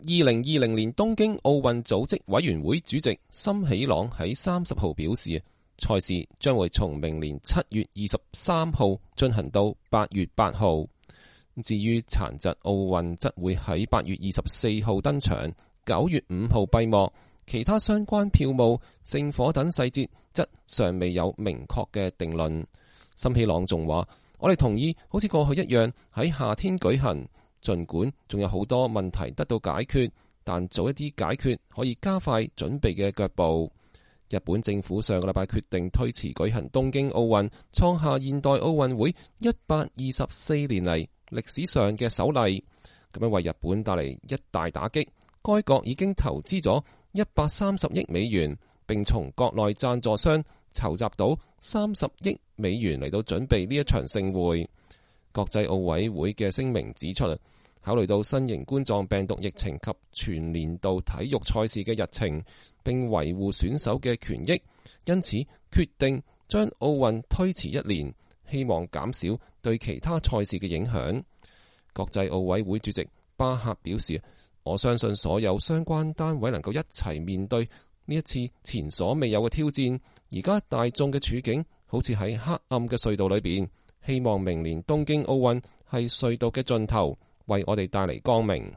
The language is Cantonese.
2020年東京奧運組織委員會主席森喜朗喺30號表示，賽事將會從明年7月23號進行到8月8號。至於殘疾奧運則會喺8月24號登場，9月5號閉幕。其他相關票務、聖火等細節則尚未有明確嘅定論。森喜朗仲話：我哋同意好似過去一樣喺夏天舉行，儘管仲有好多問題得到解決，但早一啲解決可以加快準備嘅腳步。日本政府上個禮拜決定推遲舉行東京奧運，創下現代奧運會124年嚟歷史上嘅首例，咁樣為日本帶嚟一大打擊。該國已經投資咗130億美元，並從國內贊助商籌集到30億美元嚟到準備呢一場盛會。國際奧委會嘅聲明指出，考慮到新型冠狀病毒疫情及全年度體育賽事嘅日程，並維護選手嘅權益，因此決定將奧運推遲1年，希望減少對其他賽事嘅影響。國際奧委會主席巴赫表示：我相信所有相關單位能夠一齊面對呢一次前所未有嘅挑戰。而家大眾嘅處境好似喺黑暗嘅隧道裏邊，希望明年東京奧運係隧道嘅盡頭，為我哋帶嚟光明。